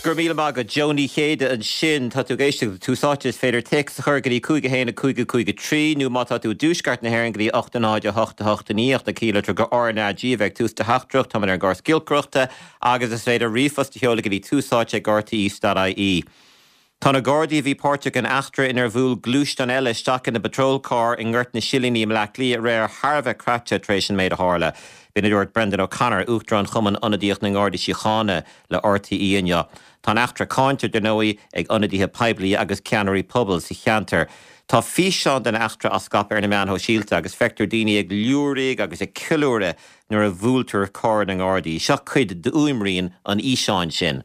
Go raibh míle maith agat, Joe Ní Chéide ansin. Tá tú ag éisteacht le Tús Áite. Is féidir téacs a chur go dtí 5 1 5 5 3 nó má tá tú i dtuaisceart na hÉireann go dtí 8 0 8 8 9 ach na ciallitear go RnaG a bheidh ag tús do theachtaireacht. Táimid ar an gcóras giolcaireachta agus is féidir ríomhphost a sheoladh go dtí túsáite@rte.ie. Tá na Gardaí a bhí páirteach in eachtra inar bhuail gluaisteán eile isteach ina bpatrol cairr i nGort na Silíní i mBleá Cliath aréir thar a bheith craite tar éis an méid a tharla. B'in a dúirt Brendan O'Connor, Uachtarán Chumann Ionadaíoch na nGardaí Síochána le RTÉ inniu. Tá an eachtra cáinte, dar ndóigh, ag ionadaithe poiblí agus ceannairí pobail sa cheantar. Tá físeán den eachtra á scaipeadh ar na meáin shóisialta agus feictear daoine ag liúraigh agus ag ceiliúradh nuair a bhuailtear carr na nGardaí. Seo cuid d'fhuaimrian an fhíseáin sin.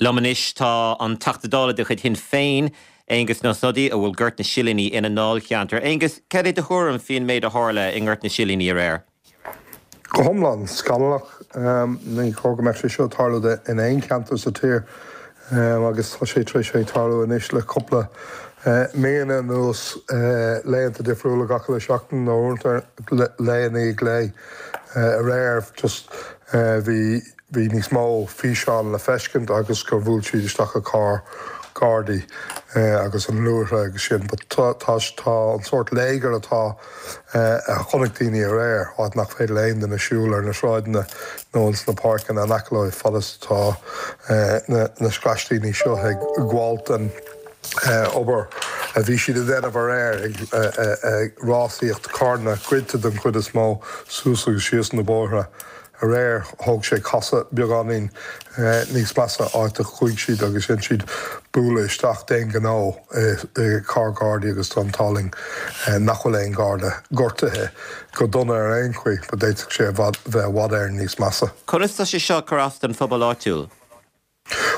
Liom anois tá an Teachta Dála de chuid Shinn Féin, Aengus Ó Snodaigh, a bhfuil Gort na Silíní ina ndáilcheantar. Aengus, cad é do thuairim faoin méid a tharla i nGort na Silíní aréir? Go hiomlán scannalach. Ní chóir go mbeadh sé seo ag tarlú in aon cheantar sa tír agus tá sé tar éis bheith ag tarlú anois le cúpla míonna anuas, laethanta difriúla gach uile seachtain nó uaireanta lae i ndiaidh lae. Aréir just bhí Bhí níos mó físeán le feiscint agus gur bhuail siad isteach i carr Gardaí agus an luaithre agus sin but tá tá an sórt léigear atá a chonaic daoine aréir, áit nach féidir le aon duine siúl ar na sráideanna nó ins na páirceanna in aice leo fad is atá na na scraistíní seo ag gabháilt den obair a bhí siad a dhéanamh aréir ag rásaíocht carranna goidte den chuid is mó suas agus síos na bóithre. Aréir, thóg sé casadh beagáinín níos measa, áit a chuaigh siad agus dhein siad bualadh isteach d'aon ghnó i carr Gardaí agus tá an t-ádh linn nach bhfuil aon Gharda gortaithe go dona ar aon chaoi, but d'fhéadfadh sé a bheith i bhfad Éireann níos measa. Conas tá sé seo ag cur as don phobal áitiúil?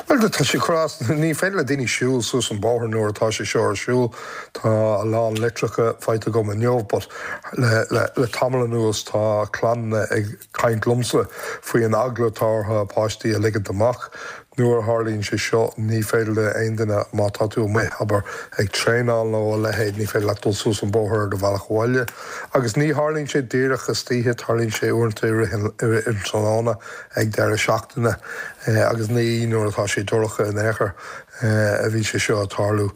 Bhuel, tá sé ag cur as. Ní féidir le daoine siúl suas an bóthar nuair atá sé seo ar siúl. Tá a lán litreacha faighte agam inniu but le le tamall anuas tá clanna ag caint liomsa faoi an eagla atá orthu a páistí a ligint amach. Nuair a tharlaíonn sé seo ní féidir le aon duine, má tá tú amuigh, abair, ag traenáil nó a leithéid, ní féidir leat dul suas an bóthar ar do bhealach abhaile. Agus ní tharlaíonn sé díreach istoíche, tarlaíonn sé uaireanta i rith an tráthnóna. ag deireadh seachtaine agus ní nuair atá sé dorcha in aon chor a bhí sé seo ag tarlú.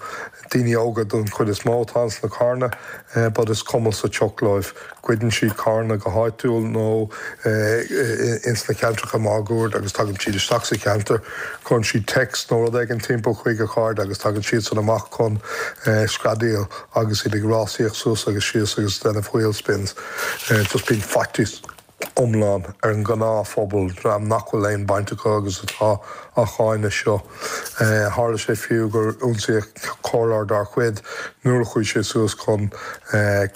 Daoine óga don chuid is mó atá ins na carranna but is cuma sa tsioc leo. Goideann siad carranna go háitiúil nó ins na ceantracha máguaird agus tagann siad isteach sa cheantar, cuireann siad text nó rud éigin timpeall chuig a chairde agus tagann siadsan amach chun screadaíl agus iad ag rásaíocht suas agus síos agus déanamh wheel spins. Just bíonn faitíos. iomlán ar an ngnáthphobal, dream nach bhfuil aon baint acu agus atá á cháineadh seo. Tharla sé fiú gur ionsaíodh comhairleoir dár chuid nuair a chuaigh sé suas chun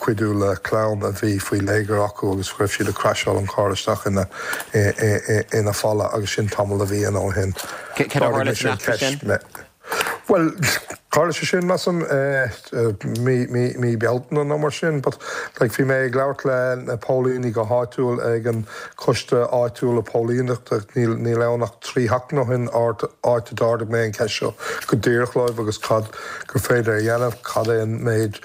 cuidiú le clann a bhí faoi léigear acu agus go raibh siad ag crasháil an carr isteach ina ina falla agus sin tamall de mhíonna ó shin. Cad a tharla san eachtra sin? Bhuel, tharla sé sin, measaim, mí, mí, mí Bealtaine nó mar sin, but like bhí mé ag labhairt le na póilíní go háitiúil ag an coiste áitiúla póilíneachta, níl, níl ann ach 3 sheachtain ó shin, áit, áit a d'ardaigh mé an cheist seo go díreach leo agus cad gur féidir a dhéanamh, cad é an méid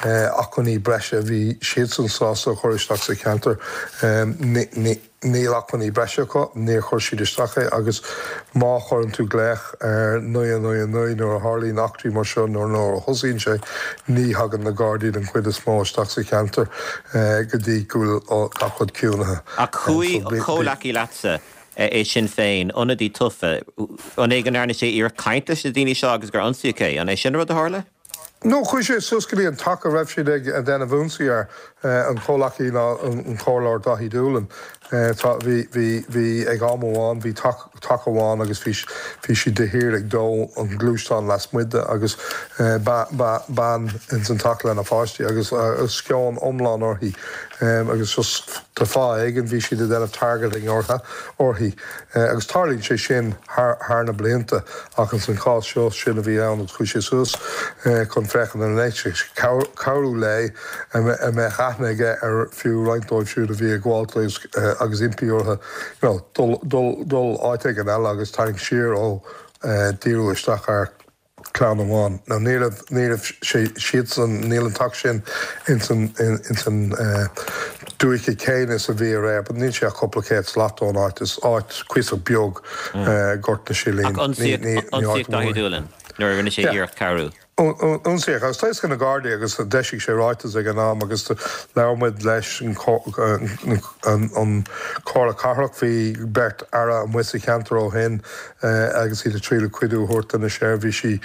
acmhainní breise a bhí siadsan sásta a chur isteach sa cheantar. Ní, ní. Níl acmhainní breise acu, níor chuir siad isteach é agus má chuireann tú glaoch ar 999 nuair a tharlaíonn eachtraí mar seo nó nuair a thosaíonn sé, ní thagann na Gardaí den chuid is mó isteach sa cheantar go dtí go bhfuil gach rud ciúnaithe. Ach chuaigh comhleacaí leatsa i Sinn Féin, ionadaí tofa, an é go ndearna sé iarracht caint leis na daoine seo agus gur ionsaíodh é? An é sin an rud a tharla? No, chuaigh sé suas go dtí an teach a raibh siad ag déanamh ionsaí air, an comhleacaí ná an Comhairleoir Daithí Doolan. Tá, bhí, bhí, bhí, ag am amháin, bhí teach, teach amháin agus bhí, bhí siad de shíor ag dó an ghluaisteáin lasmuigh de agus bean ins an teach lena pháistí agus sceon iomlán uirthi agus just de fáth éigin bhí siad ag déanamh targeting orthu, uirthi. Agus tarlaíonn sé sin thar na blianta, ach ins an chás seo, sin a bhí ann agus chuaigh sé suas chun féachaint an bhféadfadh sé cabhrú léi, a mbeadh aithne aige ar fiú roinnt dóibh siúd a bhí ag gabháilt. agus impí orthu you know dul dul dul áit éigin eile agus tarraingt siar ó díriú isteach ar chlann amháin. Now ní raibh ní raibh sé siadsan níl an teach sin ins an ins an dúiche céanna is a bhí aréir but níl sé ach cúpla céad slat ón áit. Is áit cuíosach beag Gort na Silín. Ach ionsaíodh Daithí Doolan nuair a rinne sé iarracht cabhrú. Ionsaíodh, agus tá a fhios ag na Gardaí agus d'eisigh sé ráiteas ag an am agus labhair muid leis an Chomhairle Cathrach, bhí beirt aire amuigh sa cheantar ó shin agus iad ag triail cuidiú a thabhairt do na seirbhísí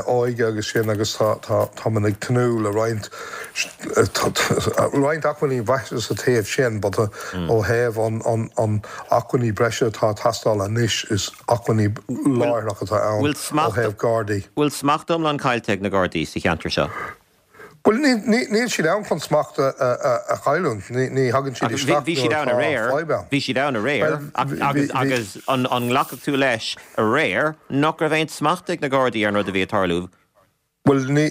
óige agus sin agus tá muid ag tnúth le roinnt roinnt acmhainní breise sa taobh sin but ó thaobh an acmhainní breise atá ag teastáil anois is acmhainní láithreach atá ann ó thaobh Gardaí. Bhfuil smacht iomlán caillte ag na Gardaí sa cheantar seo? Bhuel, níl siad ann chun smacht a chailliúint. Ní thagann siad isteach nuair atá fadhb ann. Bhí siad ann aréir agus an nglacfadh tú leis aréir nach raibh aon smacht ag na Gardaí ar an rud a bhí ag tarlú? Bhuel, ní,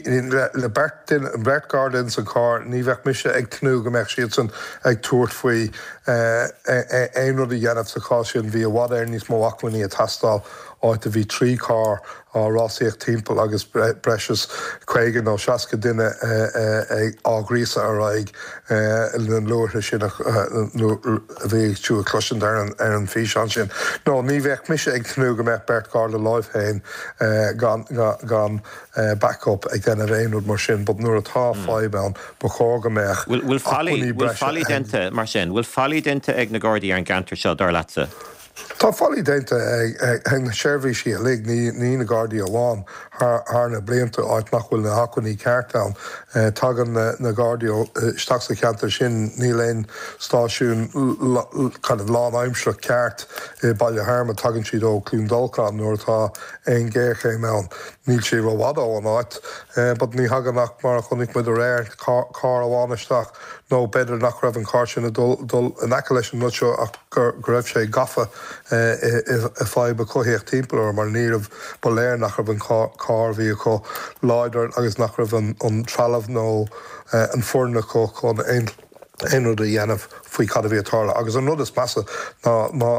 le beirt duine, beirt Gharda ins an charr, ní bheadh mise ag tnúth go mbeadh siadsan ag tabhairt faoi aon rud a dhéanamh sa chás sin. Bhí i bhfad Éireann níos mó acmhainní ag teastáil, áit a bhí 3 charr á rásaíocht timpeall agus breis is 50 nó 60 duine á ghríosadh ar aghaidh na luaithre sin a bhí tú ag cloisint ar an bhfíseán sin. No, ní bheadh mise ag tnúth go mbeadh beirt Gharda leo féin gan, gan backup ag déanamh aon rud mar sin but nuair atá fadhb ann ba chóir go mbeadh Bhfuil faillí, bhfuil faillí déanta mar sin? Bhfuil faillí déanta ag na Gardaí ar an gceantar seo, dar leatsa? Tá faillí déanta ag na seirbhísí uilig, ní na Gardaí amháin, thar na blianta, áit nach bhfuil na hacmhainní ceart ann. Tagann na Gardaí isteach sa cheantar sin, níl aon stáisiún kind of lánaimsearach ceart i Baile Hearma, tagann siad ó Cluain Dolcáin nuair atá aon ghéarchéim ann. Níl sé rófhada ón áit, but ní thagann ach, mar a chonaic muid aréir, carr amháin isteach, nó b'fhéidir nach raibh an carr sin ag dul dul in aice leis an rud seo ach go raibh sé gafa i fadhb a cothaíodh timpeall air mar ní raibh, ba léir nach raibh an carr a bhí acu láidir agus nach raibh an trealamh nó an foireann acu chun aon aon rud a dhéanamh faoi cad a bhí ag tarlú. Agus an rud is measa ná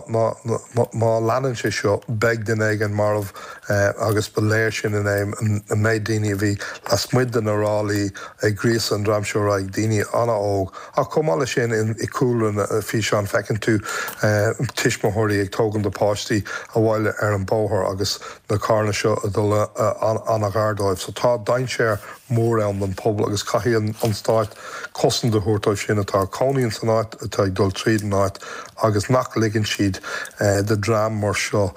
má leanann sé seo beidh duine éigin marbh agus ba léir sin inné an méid daoine a bhí lasmuigh de na ráillí ag gríosadh an dream seo ar aghaidh, daoine an-óg. Ach chomh maith leis sin i gcúlra na físeán feiceann tú tuismitheoirí ag tógaint a bpáistí abhaile ar an bóthar agus na carranna seo ag dul an-ghar dóibh. So tá dainséar mór ann don phobal agus caithfidh an stát cosaint a thabhairt dóibh sin atá ag cónaí ins an áit, atá ag dul tríd an áit agus nach ligeann siad do dream mar seo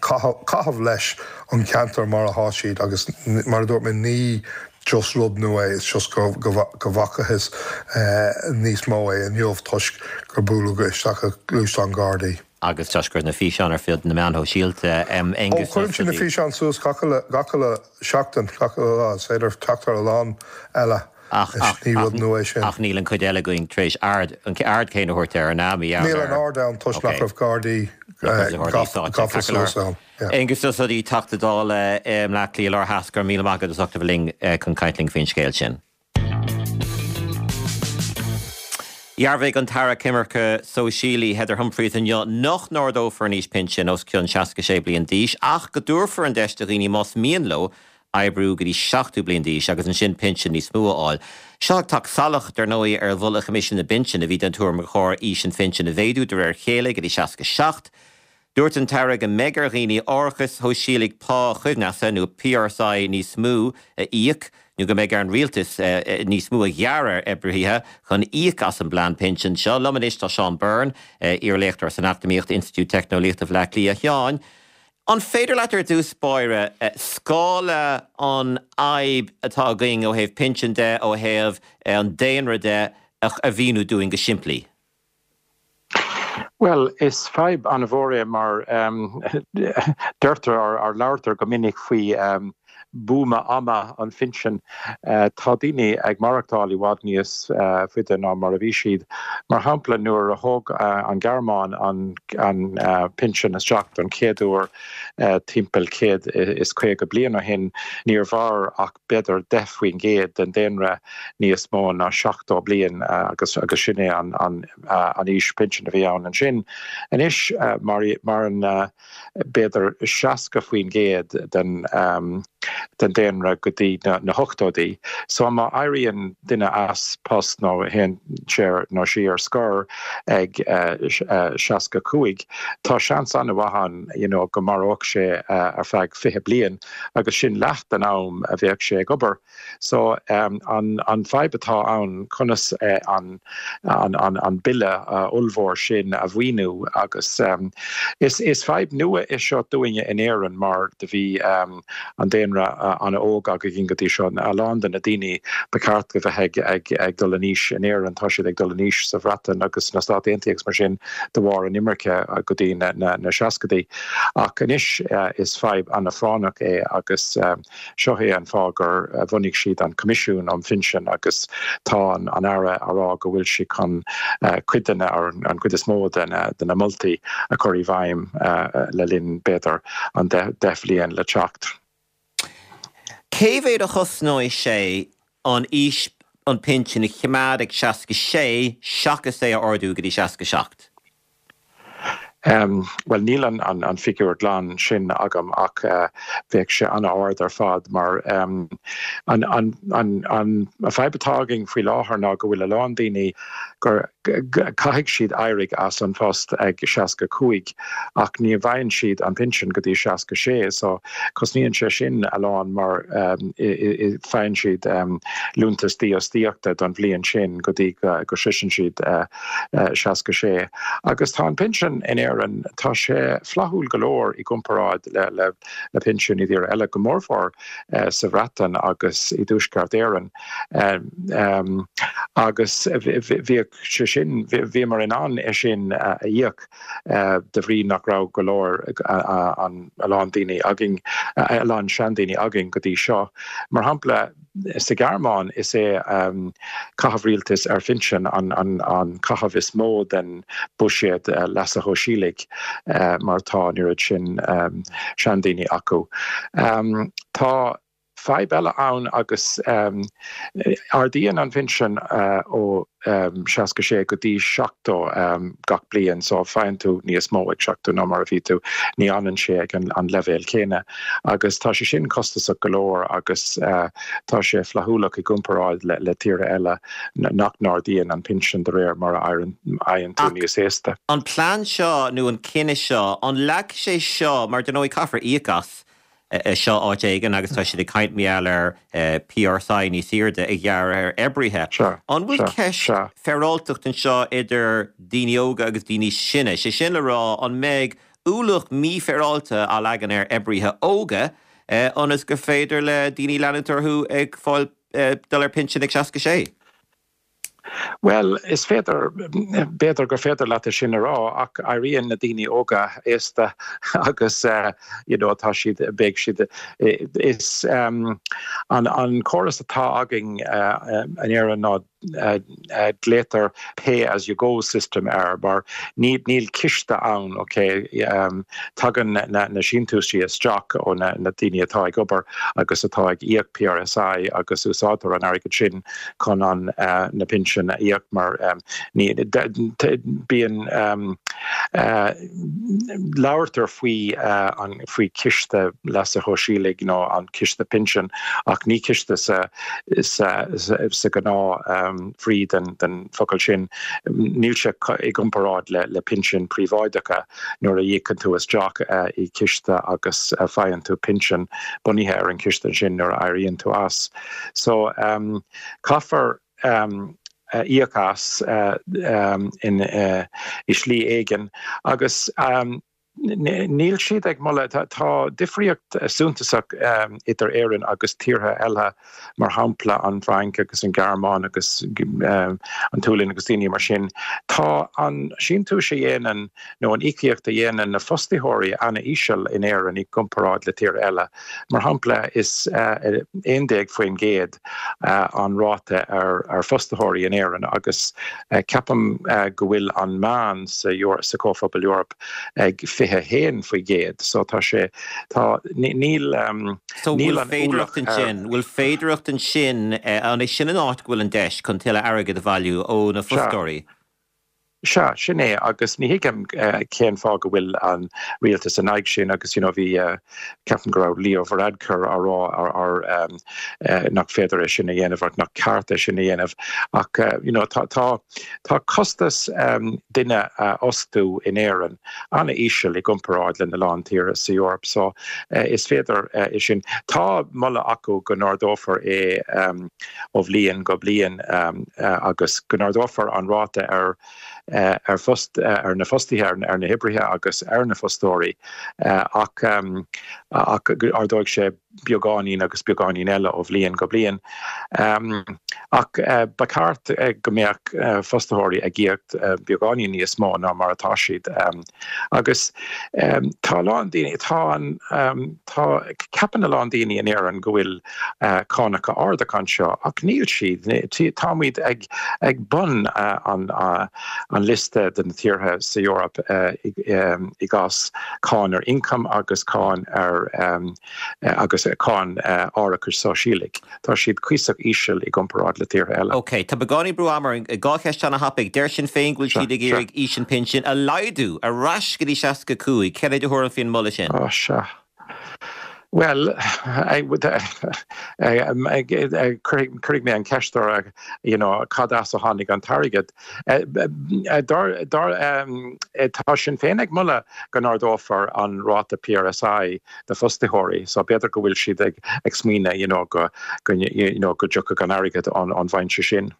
caitheamh leis an cheantar mar atá siad agus mar a dúirt mé ní just rud nua é, it's just go bhfacathas níos mó é inniu toisc gur buaileadh isteach i ngluaisteán Gardaí. Agus toisc go raibh na físeáin ar fud na meán shóisialta, Aengus Ó cuireann siad na físeáin suas gach uile seachtain, gach uile lá, is féidir teacht ar a lán eile. Ach, ach, ní rud nua é sin. Ach níl an chuid eile againn tar éis aird, an aird chéanna a thabhairt air, an ea? Níl an aird ann toisc nach raibh Gardaí gafa suas ann. Aengus Ó Snodaigh, Teachta Dála i mBleá Cliath Láir Theas, go raibh míle maith agat as ucht a bheith linn chun caint linn faoin scéal sin. Dhearbhaigh an tAire Coimirce Sóisialaí Heather Humphreys inniu nach n-ardófar an aois pinsin os cionn 66 bliain d'aois ach go dtabharfar an deis do dhaoine más mian leo oibriú go dtí 70 bliain d'aois agus ansin pinsean níos mó a fháil. Seo ag teacht salach, dar ndóigh, ar mholadh Choimisiún na bPinsean a bhí den tuairim gur chóir aois an phinsin a mhéadú de réir a chéile go dtí 67. Dúirt an tAire go mbeidh ar dhaoine árachas shóisialaigh pá-choibhneasa nó PRSI níos mó a íoc nó go mbeidh ar an rialtas níos mó a ghearradh ar oibrithe chun íoc as an bplean pinsin seo. Liom anois tá Seán Byrne, iar-léachtóir san Eacnamaíocht, Institiúid Teicneolaíochta Bhaile Átha Cliath. A Sheáin, an féidir leat ar dtús báire scála an fhadhb atá againn ó thaobh pinsean de, ó thaobh an daonra de a mhíniú dúinn go simplí? Bhuel, is fadhb an-mhór é mar deirtear or labhartar go minic faoi. buama ama an phinsin. Tá daoine ag maireachtáil i bhfad níos faide ná mar a bhí siad. Mar shampla, nuair a thóg an Ghearmáin an pinsean isteach don chéad uair timpeall 150 bliain ó shin, níor mhair ach b'fhéidir 10% den daonra níos mó ná 70 bliain agus sin é an aois pinsin a bhí ann ansin. Anois, maireann. b'fhéidir 60% den den daonra go dtí na hochtóidí. So má éiríonn duine as post nó théann sé nó sí ar scor ag 65, tá seans an-mhaith ann you know go maireodh sé ar feadh 20 bliain agus sin leath den am a bheadh sé ag obair. So, an fadhb atá ann, conas an an bille ollmhór sin a mhaoiniú agus is fadhb nua é seo dúinne in Éirinn mar do bhí an daonra an-óg againn go dtí seo. A lán de na daoine ba cheart a bheith ag dul in aois in Éirinn, tá siad ag dul in aois sa Bhreatain agus sna Stáit Aontaithe agus mar sin de bharr an imirce go dtí na seascaidí. Ach anois is fadhb an-phráinneach é agus. Seo é an fáth gur bhunaigh siad an Coimisiún um Phinsin agus tá an Aire á rá go bhfuil sé chun cuid de na, an chuid is mó de na moltaí a chur i bhfeidhm le linn, b'fhéidir, an 10 bhliain le teacht. Cé mhéad a chosnóidh sé an aois an pinsean a choimeád ag 66 seachas é a ardú go dtí 67? Bhuel, níl an figiúr glan sin agam ach bheadh sé an-ard ar fad mar an fadhb atá againn faoi láthair ná go bhfuil a lán daoine gur caithfidh siad éirigh as an phost ag 65 ach ní bhfaigheann siad an pinsean go dtí 66 so cosnaíonn sé sin a lán mar faigheann siad liúntas dífhostaíochta don bhliain sin go dtí go sroiseann siad 66. Agus tá an pinsean in Éirinn, tá sé flaithiúil go leor i gcomparáid le le pinsin i dtíortha eile, go mórmhór sa Bhreatain agus i dTuaisceart Éireann. Agus bhíodh sé sin, bhíomar in ann é sin a íoc de bhrí nach raibh go leor, a lán daoine againn, a lán seandaoine againn go dtí seo. Mar shampla, Sa Ghearmáin, is é caitheamh rialtais ar phinsin an caitheamh is mó den bhuiséad leasa shóisialaigh mar tá an oiread sin seandaoine acu. Tá fadhb eile ann agus ardaíonn an pinsean ó 66 go dtí 70 gach bliain so faigheann tú níos mó ag 70 ná mar a bhí tú, ní fhanann sé ag an leibhéal céanna agus tá sé sin costasach go leor agus tá sé flaithiúlach i gcomparáid le tíortha eile nach n-ardaíonn an pinsean de réir mar a éiríonn tú níos aosta. An plean seo nó an cinneadh seo, an leagfaidh sé seo, mar dar ndóigh caithfear íoc as, seo áit éigin agus tá siad ag caint mar gheall ar PRSI níos airde a ghearradh ar oibrithe. An bhfuil ceist féaráilteacht anseo idir daoine óga agus daoine sine? Sé sin le rá, an mbeidh ualach mífhéaráilte á leagan ar oibrithe óga ionas gur féidir le daoine leanúint orthu ag fáil dul ar pinsean ag 66? Bhuel, is féidir, b'fhéidir gur féidir leat é sin a rá, ach éiríonn na daoine óga aosta agus you know tá siad, beidh siad, is an an córas atá againn in Éirinn ná glaotar pay as you go system air mar ní níl ciste ann, ok, tagann na na síntiúisí isteach ó na na daoine atá ag obair agus atá ag íoc PRSI agus úsáidtear an airgead sin chun an na pinsin a íoc mar ní bíonn labhartar faoi an faoi ciste leasa shóisialaigh nó an ciste pinsin ach ní ciste sa sa sa gnáth bhrí den den focal sin níl sé i gcomparáid le le pinsin príobháideacha nuair a íocann tú isteach i ciste agus faigheann tú pinsean bunaithe ar an ciste sin nuair a éiríonn tú as. So caithfear íoc as in i slí éigin agus. Níl siad ag moladh, tá difríocht suntasach idir Éirinn agus tíortha eile, mar shampla an Fhrainc agus an Ghearmáin agus an tSualainn agus daoine mar sin. Tá an síntiús a dhéanann nó an íocaíocht a dhéanann na fostaitheoirí an-íseal in Éirinn i gcomparáid le tíortha eile. Mar shampla, is 11% an ráta ar fostaitheoirí in Éirinn agus ceapaim go bhfuil an meán sa Chomhphobal Eoraip ag 21%. So tá sé, tá, níl, So níl an ualach ar. Bhfuil féidearthacht ansin, an é sin an áit go bhfuil an deis chun tuilleadh airgid a bhailiú ó na fostóirí? Sea, sin é, agus ní thuigim cén fáth go bhfuil an rialtas in aghaidh sin agus you know bhí, ceapaim go raibh Leo Varadkar á rá ar nach féidir é sin a dhéanamh or nach ceart é sin a dhéanamh ach you know tá tá tá costas duine a fhostú in Éirinn an-íseal i gcomparáid lena lán tíortha sa Eoraip so is féidir é sin. Tá moladh acu go n-ardófar é ó bhliain go bliain agus go n-ardófar an ráta ar ar phost ar na fostaithe, ar na hoibrithe agus ar na fostóirí ach ach go ardóidh sé beagáinín agus beagáinín eile ó bhliain go bliain. Ach ba cheart go mbeadh fostaitheoirí ag íoc beagáinín níos mó ná mar atá siad. Agus tá a lán daoine, tá an, tá, ceapann a lán daoine in Éirinn go bhfuil cánacha arda anseo, ach níl siad. Táimid ag, ag bun an, an liosta de na tíortha sa Eoraip i gcás cáin ar ioncam agus cáin ar, agus cáin árachais sóisialaigh. Tá siad cuíosach íseal i gcomparáid le tíortha eile. Ok, tá beagáinín brú ama orainn. 2 cheist ana-thapaidh. Deir Sinn Féin go bhfuil siad ag iarraidh aois an phinsin a laghdú ar ais go dtí 65. Céard é do thuairim faoin moladh sin? Ó, sea. Bhuel, cuirfidh mé an cheist orthu, you know, cad as a tháinig an t-airgead? Tá Sinn Féin ag moladh go n-ardófar an ráta PRSI do fostaitheoirí so b'fhéidir go bhfuil siad ag ag smaoineamh you know go go you know go dtiocfadh an airgead ón ón bhfoinse sin.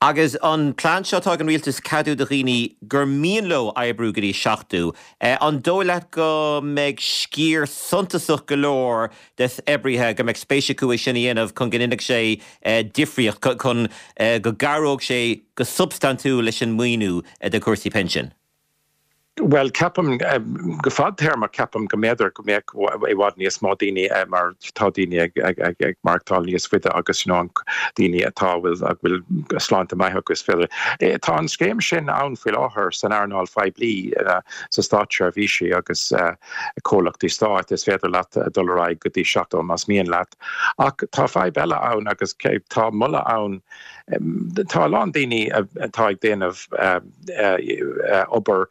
Agus an plean seo atá ag an rialtas ceadú do dhaoine gur mian leo oibriú go dtí 70, an dóigh leat go mbeidh sciar suntasach go leor des oibrithe go mbeidh spéis acu é sin a dhéanamh chun go ndéanfadh sé difríocht, chun go gcabhródh sé go substaintiúil leis an maoiniú do chúrsaí pinsin? Bhuel, ceapaim, go fadtéarmach, ceapaim go mb'fhéidir go mbeadh i bhfad níos mó daoine mar tá daoine ag maireachtáil níos faide agus you know daoine atá a bhfuil a bhfuil sláinte maith acu is féidir. Tá an scéim sin ann faoi láthair san earnáil phoiblí, sa státseirbhísí agus comhlachtaí stáit, is féidir leat dul ar aghaidh go dtí 70 más mian leat. Ach tá fadhb eile ann agus tá moladh ann, tá a lán daoine atá ag déanamh, obair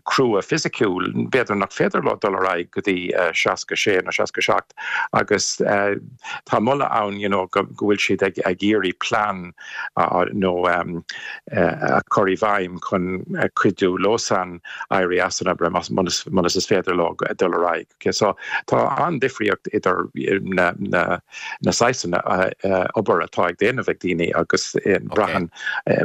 crua fisiciúil, b'fhéidir nach féidir leo dul ar aghaidh go dtí 66 nó 67 agus tá moladh ann you know go bhfuil siad ag iarraidh plean nó a chur i bhfeidhm chun cuidiú leosan éirí as an obair muna is féidir leo dul ar aghaidh. Ok so tá an-difríocht idir na na na saghsanna obair atá ag déanamh ag daoine agus braitheann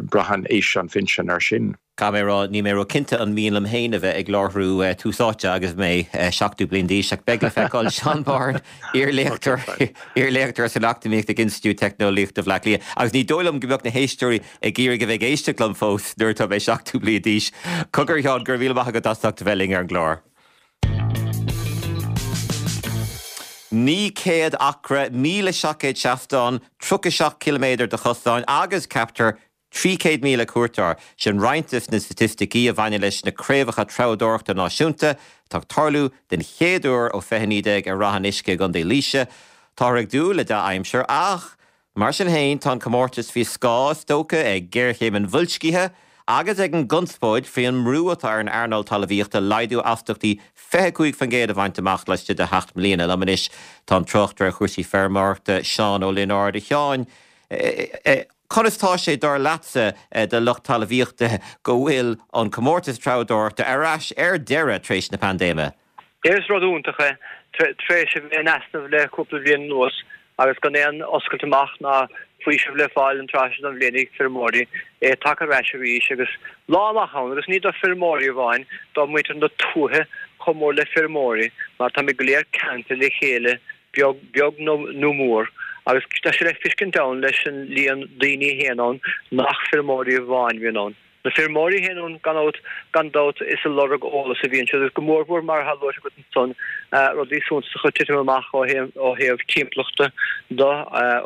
braitheann aois an phinsin ar sin. Caithfidh mé a rá, níl mé ró-chinnte an mian liom féin a bheith ag láithriú Tús Áite agus mé 70 bliain d'aois, ach beidh le feiceáil. Seán Byrne, iar-léachtóir iar-léachtóir san Eacnamaíocht ag Institiúid Teicneolaíochta Bhaile Átha Cliath. Agus ní dóigh liom go mbeadh na héisteoirí ag iarraidh a bheith ag éisteacht liom fós nuair atá mé 70 bliain d'aois. Cogar, a Sheáin, go raibh míle maith agat as ucht a bheith linn ar an gclár. 900 acra, 1,700 seastán, 37 ciliméadar de chosáin agus, ceaptar, 300,000 cuairteoir. Sin roinnt de na staitisticí a bhaineann leis na Craobhacha Treabhdóireachta Náisiúnta atá ag tarlú den chéad uair ó 2019 ar Rath an Uisce i gContae Laoise. Táthar ag dúil le dea-aimsir ach, Mar sin féin, tá an comórtas faoi scáth, is dócha, ag géarchéim an bhoilscithe agus ag an gconspóid faoi an mbrú atá ar an earnáil talmhaíochta laghdú astaíochtaí 25% a bhaint amach laistigh de sheacht mbliana. Liom anois tá an tráchtaire ar chúrsaí feirmeoireachta, Seán Ó Lionáird. A Sheáin, conas tá sé, dar leatsa, do lucht talmhaíochta go bhfuil an comórtas treabhdóireachta ar ais ar deireadh tar éis na paindéime? Is rud iontach é, tar éis a bheith in easnamh le cúpla bliain anuas agus gan aon oscailt amach ná. Faoiseamh le fáil an tráth seo den bhliain ag feirmeoirí, é tagtha ar ais arís agus lá maith ann agus ní do feirmeoirí amháin, do mhuintir na tuaithe chomh mór le feirmeoirí mar táimid go léir ceangailte le chéile beag beag nó mór agus tá sé le feiscint ann leis an líon daoine a théann ann nach feirmeoirí amháin a bhíonn ann. Na feirmeoirí a théann ann gan dabht, gan dabht is ag lorg eolas a bhíonn siad agus go mórmhór mar atá luaite agat ansan, rudaí suntasacha ag titim amach ó ó thaobh timpeallachta de,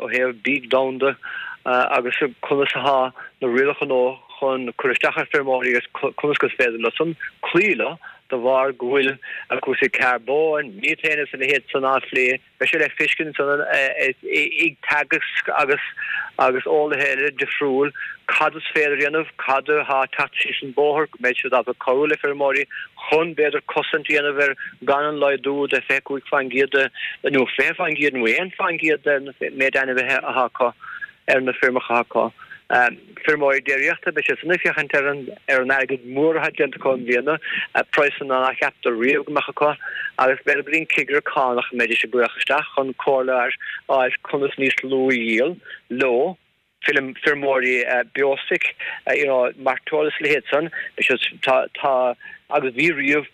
ó thaobh bídh domhanda agus conas atá na rialacha nua chun cur isteach ar feirmeoirí agus conas gur féidir leo san cloí leo de bharr go bhfuil cúrsaí carbóin, methane agus a leithéid san á phlé. Beidh sé le feiscint ansan ag Teagasc agus agus eolaithe eile difriúil cad is féidir a dhéanamh, cad atá ag teacht síos an bóthar, go mbeidh siad ábalta cabhrú le feirmeoirí chun, b'fhéidir, cosaint a dhéanamh ar gan an laghdú de 25% de, nó 20% nó 1% den méid ainmhithe atá acu ar na feirmeacha atá acu. Feirmeoirí déiríochta, beidh siad san ag féachaint ar an ar an airgead mór atá déanta acu i mbliana, praghsanna nár cheapadar riamh go mbeadh acu, agus b'fhéidir go dtí an cigire cánach a mbeidís ag glaoch isteach chun comhairle a fháil conas níos lú a dhíol leo. Feirmeoirí beostoic, you know, mairteoil is a leithéid san, beidh siad, tá, tá, agus bhí riamh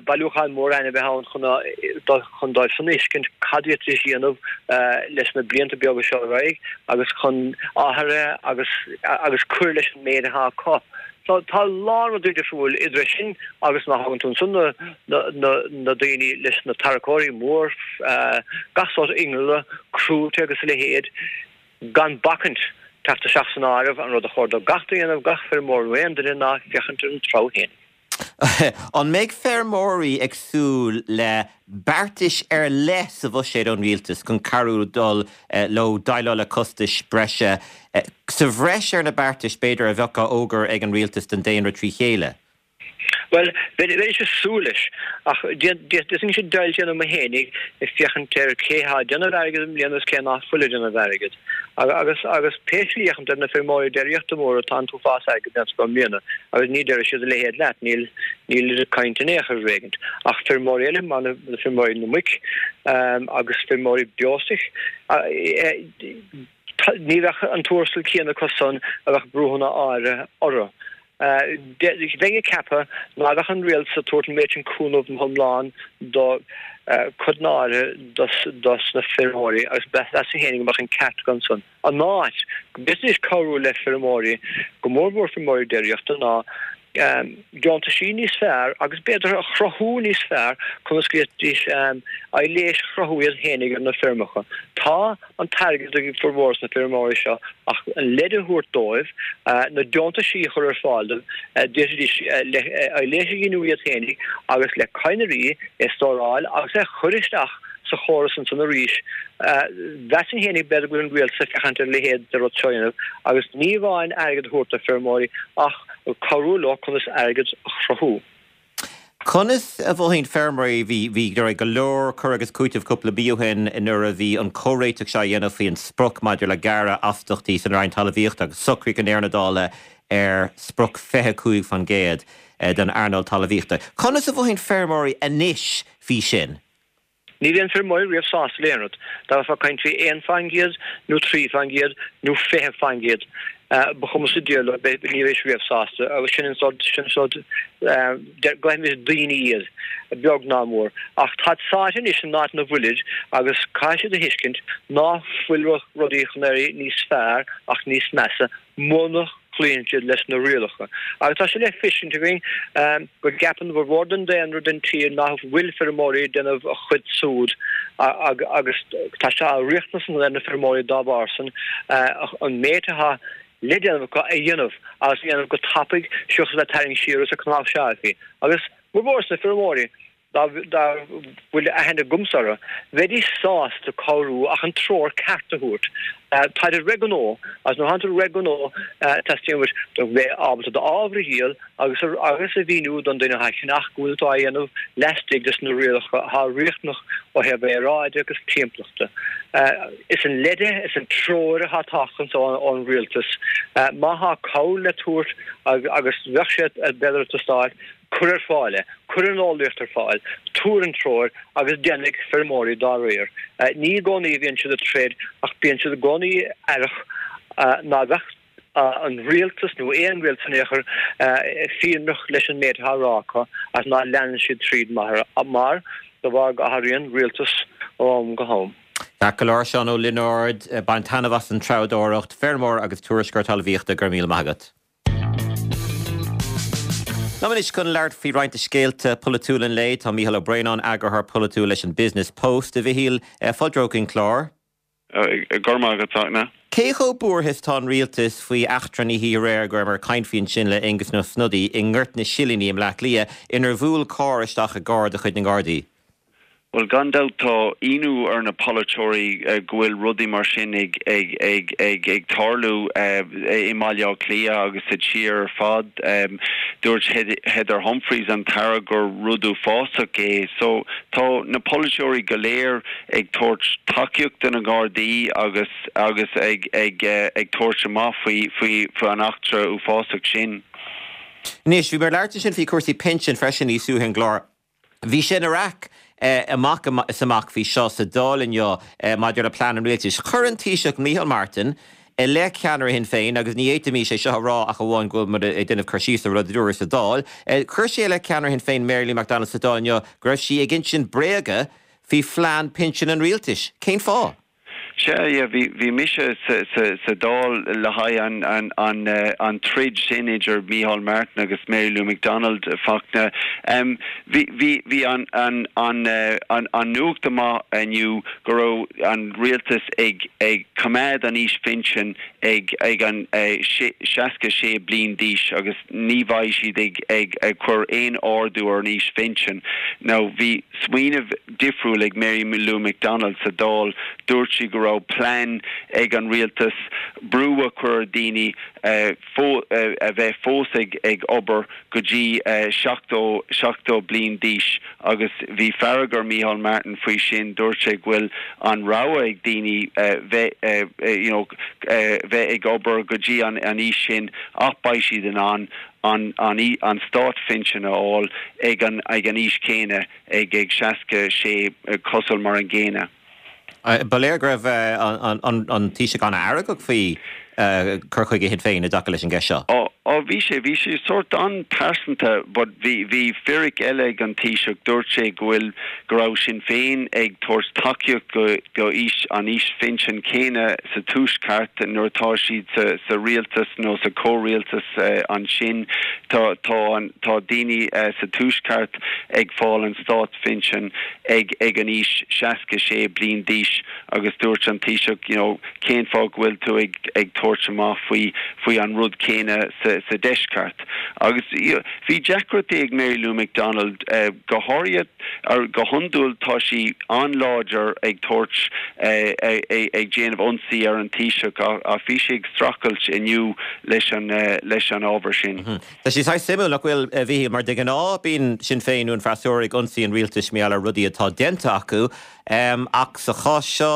bailiúchán mór ainmhithe ann chun chun dóibh san a fheiscint cad a d'fhéadfaidís a dhéanamh leis na blianta beaga seo ar aghaidh agus chun athruithe agus agus cur leis an méid atá acu. So tá a lán rudaí difriúil idir é sin agus má thagann tú ansan na na na daoine leis na tarracóirí mór gach sórt innealra crúite agus a leithéid. Gan bacaint teacht isteach san áireamh, an rud a chóir do gach duine a dhéanamh, gach feirmeoir nó aon duine, ná féachaint ar an treabhadh fhéinig. An mbeidh feirmeoirí ag súil le beartais ar leith sa bhuiséad ón rialtas chun cabhrú dul leo déileáil le costais breise, sa bhreis ar na beartais, b'fhéidir, a bheadh á fhógairt ag an rialtas don daonra trí chéile? Bhuel, bheinnse ag súil leis, ach d'fhéadfainnse deighilt a dhéanamh mo fhéinig ag féachaint ar cé atá ag déanamh airgid i mbliana agus cé ná fuil ag déanamh airgid. Agus, agus pé slí a fhéachann tú ar na feirmeoirí déiríochta móra, tá an t-uafás airgid déanta acu i mbliana, agus ní déarfaidh siad a leithéid leat, níl, níl caint in aon chor ar éigint. Ach feirmeoirí eile, mar na feirmeoirí na muic, agus feirmeoirí beostoic, ní bheadh an tuarastal céanna acu san a bheadh brúnna áirithe orthu. Bheinn ag ceapadh ná beadh an rialtas ag tabhairt an méid sin cúnamh na hiomlán do chuid áirithe dos na feirmeoirí agus mheasfainn féin go mbeadh an ceart acu ansan. An áit go bhféadfaidís cabhrú le feirmeoirí, go mór mhór feirmeoirí déiríochta, ná deontaisí níos fearr agus b'fhéidir a chruthú níos fearr conas go bhféadfaidís aibhléis a chruthú iad féinig ar na feirmeacha. Tá an t-airgead ag formhór sna feirmeoirí seo ach an leid a thabhairt dóibh, na deontaisí a chur ar fáil dóibh, d'fhéadfaidís aibhléis a ghiniúint iad féinig agus le cadhnraí é stóráil agus é a chur isteach sa chóras ansan arís. Mheasfainn féinig b'fhéidir go bhfuil an rialtas ag féachaint ar a leithéid de rud seo a dhéanamh agus ní amháin airgead a thabhairt do feirmeoirí ach cabhrú leo conas airgead a chruthú. Conas a mhothaíonn feirmeoirí? Bhí, bhí, go leor cur agus cúiteamh cúpla mí ó shin nuair a bhí an comhréiteach seo á dhéanamh faoi an sprioc maidir le gearradh astachtaí san Roinn Talmhaíochta agus socraíodh i ndeireadh na dála ar sprioc 25% don earnáil talmhaíochta. Conas a mhothaíonn feirmeoirí anois faoi sin? Ní bhíonn feirmeoirí riamh sásta le aon rud. Dá mbeifeá ag caint faoi 1% nó 3% nó 20%, ba chuma sa diabhal leo, ní bheidís riamh sásta. Agus sin an sórt, sin an sórt, glaoimis daoine iad, beag ná mór. Ach táid sáite anois san áit ina bhfuilid agus caithfidh siad a thuiscint ná fuil rudaí chun éirí níos fearr ach níos measa muna gcloíonn siad leis na rialacha. Agus tá sé le feiscint againn go gceapann formhór den daonra den tír ná fuil feirmeoirí ag déanamh a chuid súd agus tá sé á riachtanas ar na feirmeoirí dá bharr san an méid atá le déanamh acu a dhéanamh agus a dhéanamh go tapaidh seachas a bheith ag tarraingt siar is ag cnáimhseáil. Agus formhór sna feirmeoirí dá bhfuil aithne agamsa orthu, bheidís sásta cabhrú ach an treoir ceart a thabhairt. Táid ag rith gnó, agus nuair atánn tú ag rith gnó, teastaíonn uait do bheith ábalta d'ábhar a dhíol agus agus a mhíniú don duine atá ag ceannach go bhfuil tú á dhéanamh laistigh des na rialacha atá riachtanach ó thaobh aeráide agus timpeallachta. Is an leide, is an treoir atá ag teacht anso ón rialtas. Má thá cabhair le tabhairt agus bheadh sé b'fhéidir ag teastáil, Cuir ar fáil é, cuir an eolaíocht ar fáil, tabhair an treoir agus déanfaidh feirmeoirí dá réir. Ní i gcónaí a bhíonn siad ag troid ach bíonn siad i gcónaí aireach. Ná beadh an rialtas nó aon rialtas in aon chor fírinneach leis an méid atá á rá acu ach ná leanann siad tríd mar de bharr go athraíonn rialtas ó am go ham. Ceart go leor, Seán Ó Lionáird, bain taitneamh as an treabhdóireacht, feirmeoir agus tuairisceoir talmhaíochta, go raibh míle maith agat. Liom anois chun labhairt faoi roinnt de scéalta polaitiúla an lae, tá Mícheál Ó Braonáin, eagarthóir polaitiúil leis an Business Post. A Mhichíl, fáilte romhat chuig an chlár. Go raibh maith agat, a Fhachtna. Cé chomh buartha is atá an rialtas faoi eachtra an oíche aréir go rabhamar ag caint faoi ansin le Aengus Ó Snodaigh i nGort na Silíní i mBleá Cliath inar bhuail carr isteach i gcarr de chuid na nGardaí? Bhuel, gan dabht tá ionadh ar na polaiteoirí go bhfuil rudaí mar sin ag ag tarlú i mBaile Átha Cliath agus sa tír ar fad. Dúirt Heather Humphreys, an tAire, gur rud uafásach é. So tá na polaiteoirí go léir ag tabhairt tacaíocht do na Gardaí agus agus ag ag ag tabhairt amach faoi faoi an eachtra uafásach sin. Anois, bhí mé ag labhairt ansin faoi chúrsaí pinsin freisin níos luaithe ar an gclár. Bhí sé ina raic amach is amach faoi seo sa Dáil inniu maidir le plean an rialtais. Chuir an Taoiseach Micheál Martin i leith ceannaire Shinn Féin, agus ní fhéadfaimis é seo a rá ach amháin go bhfuil muid ag déanamh cur síos ar rud a dúradh sa Dáil, chuir sé i leith ceannaire Shinn Féin Mary Lou McDonald sa Dáil inniu go raibh sí ag insint bréaga faoi phlean pinsin an rialtais. Cén fáth? Sea, yeah, bhí, bhí mise sa, sa, sa Dáil le haghaidh an, an, an, an troid sin idir Micheál Martin agus Mary Lou McDonald, Fachtna. Em, bhí, bhí, bhí an, an, an, an, an nuacht amach inniu go raibh an rialtas ag, ag coimeád an aois phinsin ag, ag an, eh, sé, 66 bliain d'aois agus ní bheidh siad ag, ag, ag cur aon ardú ar an aois phinsin. Now, bhí smaoineamh difriúil ag Mary Lou McDonald sa Dáil. Dúirt sí go raibh plean ag an rialtas brú a chur ar dhaoine a bheith fós ag obair go dtí 70 70 bliain d'aois agus bhí fearg ar Micheál Martin faoi sin. Dúirt sé go bhfuil an rogha ag daoine bheith you know bheith ag obair go dtí an aois sin ach beidh siad in ann an an státphinsean a fháil ag an ag an aois chéanna. ag ag 66 cosúil mar an gcéanna. Ba léir go raibh an Taoiseach an-fheargach faoi cur chuige Shinn Féin i dtaca leis an gceist seo. Á, á, bhí sé, bhí sé sórt an-pearsanta but bhí, bhí fíric eile ag an Taoiseach, dúirt sé go bhfuil, go raibh Sinn Féin ag tabhairt tacaíocht go, go aois, an aois phinsin céanna sa Tuaisceart nuair atá siad sa, sa rialtas nó sa comhrialtas ansin. Tá, tá an, tá daoine sa Tuaisceart ag fáil an státphinsean ag ag an aois 66 bliain d'aois agus dúirt an Taoiseach you know cén fáth go bhfuil tú ag ag tabhairt amach faoi faoi an rud céanna sa sa deisceart agus you know bhí deacrachtaí ag Mary Lou McDonald go háirithe ar go hiondúil tá sí an-láidir ag tabhairt ag déanamh ionsaí ar an Taoiseach ach bhí sí ag streachailt inniu leis an leis an ábhar sin. Tá sé saghas suimiúil, nach bhfuil, a Mhichíl, mar de ghnáth bíonn Sinn Féin nó an freasúra ag ionsaí an rialtais mar gheall ar rudaí atá déanta acu, ach sa chás seo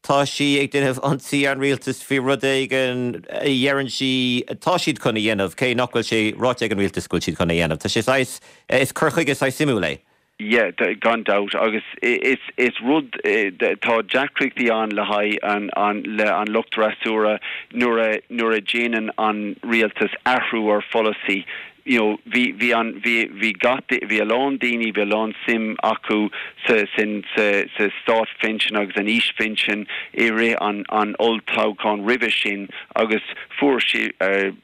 tá sí ag déanamh ionsaí ar an rialtas faoi rud éigin a dheireann sí atá siad chun a dhéanamh, cé nach bhfuil sé ráite ag an rialtas go bhfuil siad chun a dhéanamh. Tá sé saghas, is cur chuige saghas suimiúil é. Yeah, gan dabht, agus is is rud, tá deacrachtaí ann le haghaidh an an le an lucht fhreasúra nuair a nuair a déanann an rialtas athrú ar pholasaí. You know, bhí bhí an bhí bhí gach bhí a lán daoine, bhí a lán suim acu sa sin sa sa státphinsean agus an aoisphinsean i rith an an olltoghcháin roimhe sin agus fuair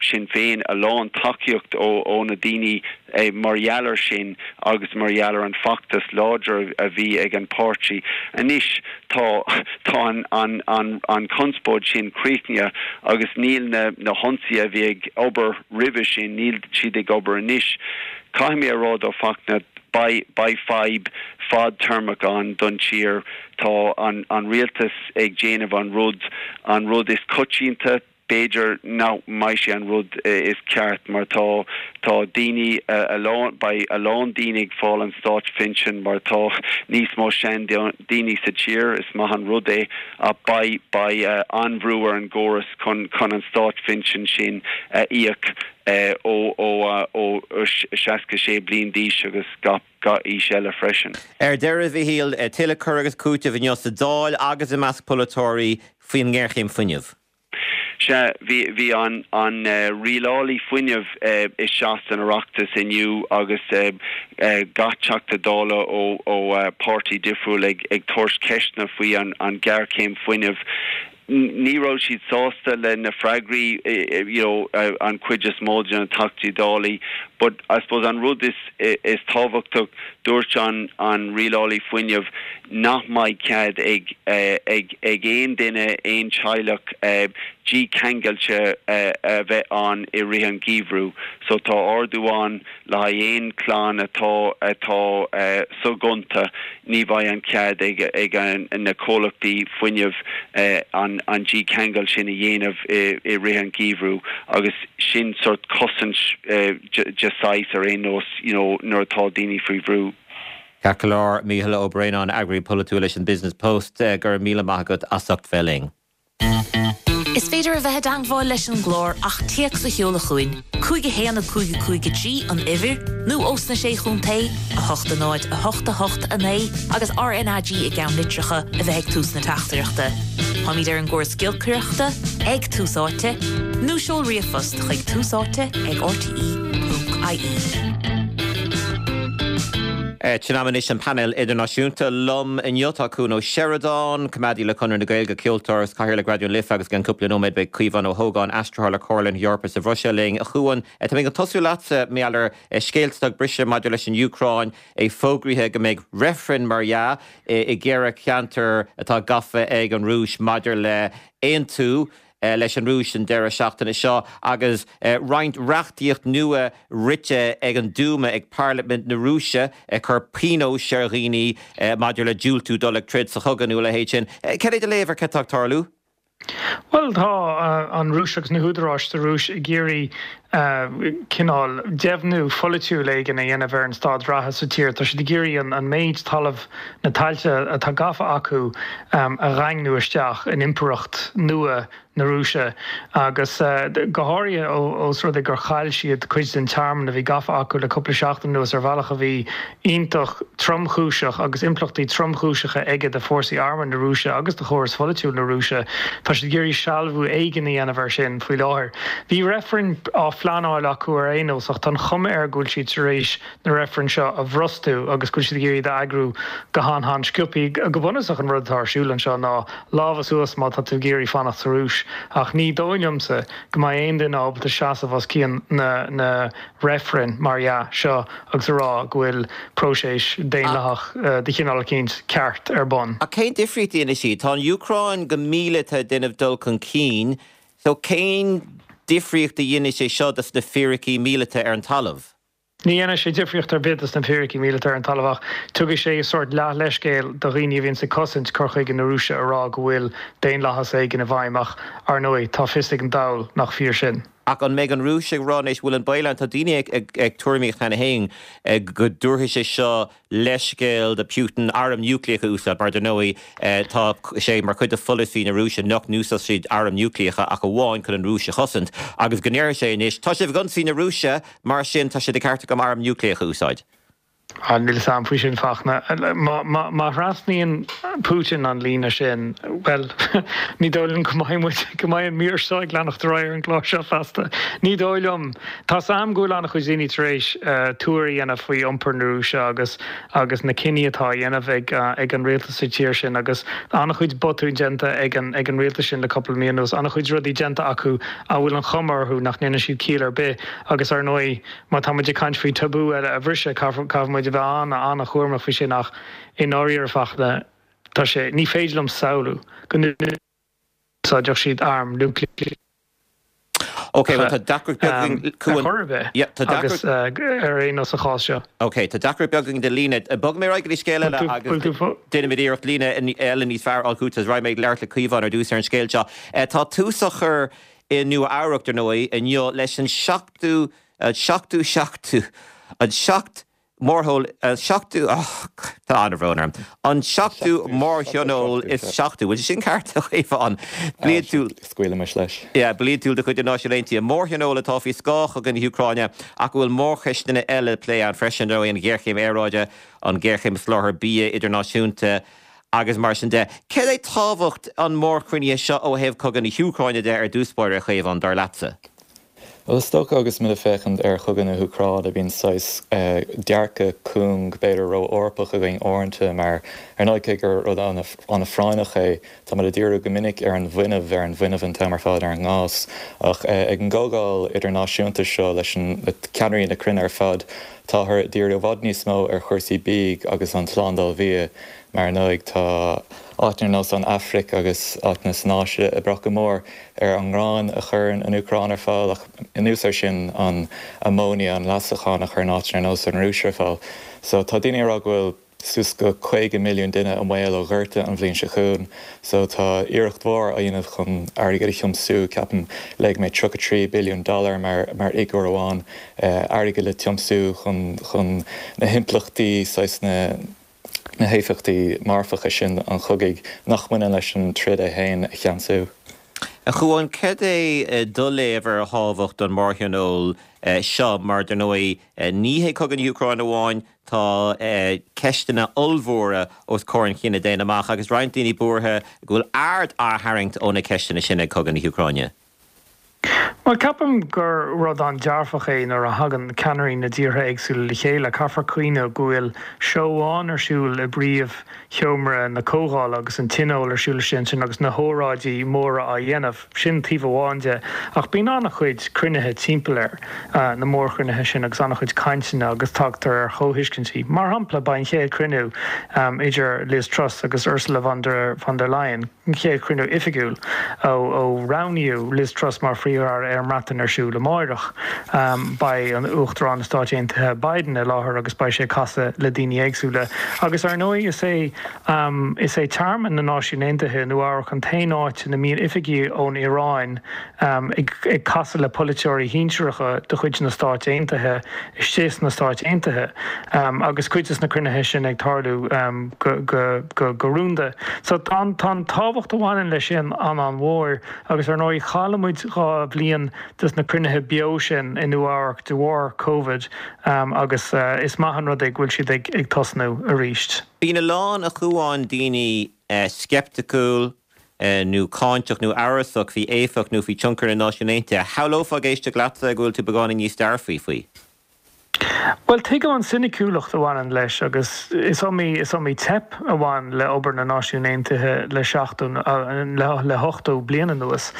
Sinn Féin a lán tacaíocht ó ó na daoine Mar gheall ar sin agus mar gheall ar an feachtas láidir a bhí ag an páirtí, anois tá tá an an an an conspóid sin críochnaithe agus níl na na hionsaithe a bhí ag obair roimhe sin, níl siad ag obair anois. Caithfidh mé a rá though Fachtna, beidh beidh fadhb fadtéarmach ann don tír. Tá an an rialtas ag déanamh an rud an rud is coitianta, B'fhéidir nach mbeidh sé an rud is ceart mar tá tá daoine a lán beidh a lán daoine ag fáil an státphinsean mar tá níos mó sean daoine sa tír is maith an rud é ach beidh beidh an-bhrú ar an gcóras chun chun an státphinsean sin a íoc ó ó ó 66 bliain d'aois agus gach gach aois eile freisin. Ar deireadh, a Mhichíl, tuilleadh cur agus cúitimh inniu sa Dáil agus i measc polaiteoirí faoin ngéarchéim fuinnimh. Sea, bhí, bhí an, an rialálaí fuinnimh isteach san Oireachtas inniu agus gach Teachta Dála ó, ó páirtí difriúil ag, ag tabhairt ceisteanna faoi an, an ghéarchéim fuinnimh. Ní raibh siad sásta le na freagraí, you know, an chuid is mó de na Teachtaí Dálaí. But I suppose an rud is, is tábhachtach, dúirt an, an rialálaí fuinnimh nach mbeidh cead ag, ag, ag aon duine, aon teaghlach dícheangailte a bheith ann i rith an gheimhridh. So tá ordú ann le haghaidh aon chlann atá atá soghonta, ní bheidh an cead ag ag na comhlachtaí fuinnimh an an dícheangal sin a dhéanamh i rith an gheimhridh agus sin sort cosaint de saghas ar aon nós you know nuair atá daoine faoi bhrú. Ceart go leor, Mícheál Ó Braonáin, eagraí polaitiúil leis an Business Post, go raibh míle maith agat as ucht bheith linn. Is féidir a bheith i dteangmháil leis an gclár ach téacs a sheoladh chugainn, 5 1 5 5 3 an uimhir, nó ós na Sé Chontae, 8 0 8 8 9 agus RNAG i gceannlitreacha a bheith ag tús na teachtaireachta. Táimid ar an gcóras giolcaireachta, ag Tús Áite, nó seol ríomhphost chuig túsáite ag rte.ie. Sin am anois an painéal idirnáisiúnta. Liom inniu tá Cuan Ó Seireadáin, coimeádaí le Conradh na Gaeilge, ceoltóir agus Cathaoirleach Raidió na Life agus i gceann cúpla nóiméad beidh Caomhán Ó hÓgáin, aistritheoir le Comhairle na hEorpa sa Bhruiséil linn. A Chuain, tá mé ag tosú leatsa, mar gheall ar scéalta atá ag briseadh maidir leis an Úcráin, é fógraithe go mbeidh reifreann, mar dhea, i gceithre cheantar atá gafa ag an Rúis maidir le aontú leis an Rúis an deireadh seachtaine seo agus roinnt reachtaíocht nua rite ag an Dúma, ag Parlaimint na Rúise, ag cur pionóis ar dhaoine maidir le diúltú dul ag troid sa chogadh nó a leithéid sin. Cad é do léamh ar cad tá ag tarlú? Bhuel, tá an Rúis agus na húdaráis sa Rúis ag iarraidh cineál deimhniú pholaitiúil éigin a dhéanamh ar an staid reatha sa tír. Tá siad ag iarraidh an méid talaimh, na tailte atá gafa acu a dhaingniú isteach in impireacht nua na Rúise agus go háirithe ós rud é gur chaill siad cuid den tearmann a bhí gafa acu le cúpla seachtain anuas ar bhealach a bhí iontach tromchúiseach agus impleachtaí tromchúiseacha aige do fhórsaí armtha na Rúise agus do chóras pholaitiúil na Rúise. Tá siad ag iarraidh sealbhú éigin a dhéanamh air sin faoi láthair. Bhí reifreann á phleanáil acu ar aon nós ach tá an chuma air go bhfuil siad tar éis na reifrinn seo a bhrostú agus go bhfuil siad ag iarraidh iad a eagrú go han-han-sciobtha. Go bunúsach an rud atá ar siúl anseo ná lámha suas má tá tú ag iarraidh fanacht sa Rúis ach ní dóigh liomsa go mbeidh aon duine ábalta seasamh os cionn na na reifrinn, mar dhea, seo agus a rá go bhfuil próiseas daonlathach de chineál eicínt ceart ar bun. Ach cén difríocht a dhéanfaidh siad? Tá an Úcráin go míleata ag déanamh dul chun cinn, so cén difríocht a dhéanfaidh sé seo dos na fíricí míleata ar an talamh? Ní dhéanfaidh sé difríocht ar bith dos na fíricí míleata ar an talamh ach tugaidh sé sórt leath-leithscéal do dhaoine a bhíonns ag cosaint cur chuige na Rúise a rá go bhfuil daonlathas éigin i bhfeidhm ach, ar ndóigh, tá fios ag an dall nach fíor sin. Ach an mbeidh an Rúis ag rá anois, bhfuil an baol ann, tá daoine ag tuairimíocht cheana féin go dtabharfaidh sé seo leithscéal do Putin arm núicléach a úsáid, mar dar ndóigh tá sé mar chuid de pholasaí na Rúise nach n-úsáidfidh siad airm núicléacha ach amháin chun an Rúis a chosaint, agus go ndéarfaidh sé anois, tá sibh ag ionsaí na Rúise, mar sin tá sé de cheart agam arm núicléach a úsáid. Níl fhios a'm faoi sin, Fachtna. Má thrasnaíonn Putin an líne sin, bhuel, ní dóigh liom go mbeidh muid, go mbeidh an mír seo ag leanacht ar aghaidh ar an gclár seo feasta. Ní dóigh liom. Tá's a'm go bhfuil an-chuid daoine tar éis tuar a dhéanamh faoi iompar na Rúise agus agus na cinní atá á dhéanamh ag ag an rialtas sa tír sin agus an-chuid botún déanta ag an ag an rialtas sin le cúpla mí anuas, an-chuid rudaí déanta acu a bhfuil an chuma orthu nach ndéanann siad ciall ar bith agus ar ndóigh má tá muid ag caint faoi tabú eile a bhriseadh caithfidh caithfidh muid a bheith an-an-chúramach faoi sin ach i ndáiríre Fachtna tá sé ní féidir liom samhlú go n-úsáidfeadh siad arm núicléach. Ok, bhuel tá deacracht beag againn, Cuan. Ar chor ar bith, Yeah, tá agus deacracht. ar aon nós sa chás seo. Ok, tá deacracht beag againn de líne. Bogfaidh mé ar aghaidh go dtí scéal eile agus déanfaimid iarracht líne eile níos fearr a fháil chugat. Raghaidh mé ag labhairt le Caomhán ar dtús ar an scéal seo. Tá tús á chur i Nua Eabhrac, dar ndóigh, inniu leis an seachtú, an seachtú seachtú, an seacht Mórthól, an seachtú, oh, tá an-bhrón orm, an seachtú mórthionól is seachtú, bhfuil sé sin ceart, a Chaomháin? Bliantúil. Scaoilimis leis. Yeah, bliantúil de chuid na Náisiún Aontaithe. Mórthionól atá faoi scáth chogadh na hÚcráine ach go bhfuil mórcheisteanna eile le plé ann freisin, ar ndóigh, an ghéarchéim aeráide, an ghéarchéim soláthair bia idirnáisiúnta. Agus mar sin de, céard é tábhacht an mhórchruinnithe seo ó thaobh cogadh na hÚcráine de ar dtús báire, a Chaomháin, dar leatsa? Bhuel, is dócha agus muid ag féachaint ar chogadh na hÚcráine, bíonn saghas dearcadh cúng, b'fhéidir ró-Eorpach againn uaireanta, mar ar ndóigh cé gur rud an-phráinneach é, tá muid ag díriú go minic ar an bhfuinneamh, ar an bhfuinneamh an t-am ar fad, ar an ngás. Ach ag an gcomhdháil idirnáisiúnta seo leis na ceannairí na cruinne ar fad, táthar ag díriú i bhfad níos mó ar chúrsaí bídh agus an tslándáil bhia. Mar ar ndóigh tá áiteanna ar nós an Afraic agus áiteanna san Áise ag brath go mór ar an ngrán a chuireann an Úcráin ar fáil ach anuas air sin an amóinia, an leasachán a chuireann áiteanna ar nós an Rúis ar fáil. So tá daoine ag rá go bhfuil suas go 50 milliún duine i mbaol ó ghorta an bhliain seo chugainn. So tá iarracht mhór á dhéanamh chun airgead a thiomsú, ceapaim léigh mé 33 billiún dollar mar mar fhigiúr amháin, airgead le tiomsú chun chun na himpleachtaí saghas na na héifeachtaí marfacha sin an chogaidh nach mbaineann leis an troid é féin a cheansú. A Chuáin, céard é do léamh ar thábhacht an mhórthionóil seo mar, dar ndóigh, ní hé cogadh na hÚcráine amháin, tá ceisteanna ollmhóra os comhair an chine daonna amach agus roinnt daoine buartha go bhfuil aird á tharraingt ó na ceisteanna sin ag cogadh na hÚcráine. Bhuel, ceapaim gur rud an-dearfach é nuair a thagann ceannairí na dtíortha éagsúla le chéile. Caithfear cuimhneamh go bhfuil seó amháin ar siúl i bpríomhsheomra na comhdhála agus an tionól ar siúl istigh ansin agus na hóráidí móra á dhéanamh. Sin taobh amháin de. Ach bíonn an-chuid cruinnithe timpeall ar na mórchruinnithe sin agus an-chuid cainteanna agus tagtar ar chomhthuiscintí. Mar shampla, beidh an chéad chruinniú idir Liz Truss agus Ursula von der von der Leyen, an chéad chruinniú oifigiúil ó roghnaíodh Liz Truss mar Phríomh-Aire ar an mBreatain ar siúl amáireach. Beidh an Uachtarán na Stáit Aontaithe Biden i láthair agus beidh sé ag casadh le daoine éagsúla. Agus ar ndóigh is é is é Tearmann na Náisiún Aontaithe i Nua Eabhrac an t-aon áit ina mbíonn oifigigh ón Iaráin ag casadh le polaiteoirí shinsearacha de chuid na Stáit Aontaithe istigh sna Stáit Aontaithe agus cuid de na cruinnithe sin ag tarlú go rúnda. So tá an tábhacht a bhaineann leis sin an-an-mhór agus ar ndóigh chaill muid 2 bhliain de na cruinnithe beo sin i Nua Eabhrac de bharr Covid agus is maith an rud é go bhfuil siad ag tosnú arís. Bíonn a lán, a Chuáin, daoine sceipticiúil, nó cáinteach nó amhrasach faoi éifeacht nó faoi tionchar na Náisiún Aontaithe. Shamhlófá ag éisteacht leatsa go bhfuil tú beagáinín níos dearfaí faoi. Bhuel, tuigim an soiniciúlacht a bhaineann leis agus is iomaí, is iomaí teip a bhain le obair na Náisiún Aontaithe le seachtó, le hochtó bliain anuas.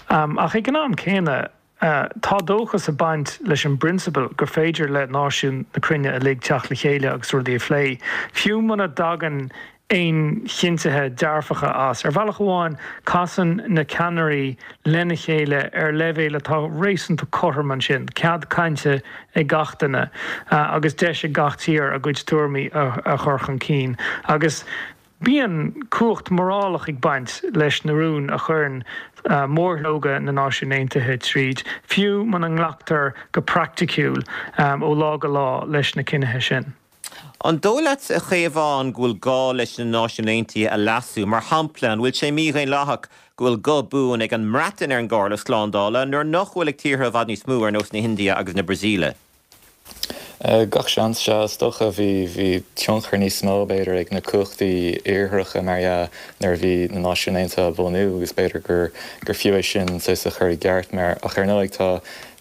Ach ag an am céanna, Tá dóchas ag baint leis an bprionsabal gur féidir le náisiúin na cruinne uilig teacht le chéile agus rudaí a phlé, fiú muna dtagann aon chinntithe dearfacha as. Ar bhealach amháin, casann na ceannairí lena chéile ar leibhéal atá réasúnta cothrom ansin, cead cainte ag gach duine agus deis ag gach tír a gcuid tuairimí a chur chun cinn. Agus. Bíonn cumhacht mhorálach ag baint leis na rúin a chuireann mórshlógadh na Náisiún Aontaithe tríd, fiú muna nglactar go praiticiúil ó lá go lá leis na cinnithe sin. An dóigh leat, a Chaomháin, go bhfuil gá leis na Náisiúin Aontaithe a leasú? Mar shampla, an bhfuil sé mídhaonlathach go bhfuil guth buan ag an mBreatain ar an gComhairle Slándála nuair nach bhfuil ag tíortha i bhfad níos mó ar nós na hIndia agus na Brasaíle? Gach seans, sea. Is dócha bhí, bhí tionchar níos mó, b'fhéidir, ag na cumhachtaí Iartharacha, mar dhea, nuair a bhí na Náisiúin Aontaithe á bhunú agus b'fhéidir gur, gur fiú é sin saghas a chur i gceart mar, ach ar ndóigh tá,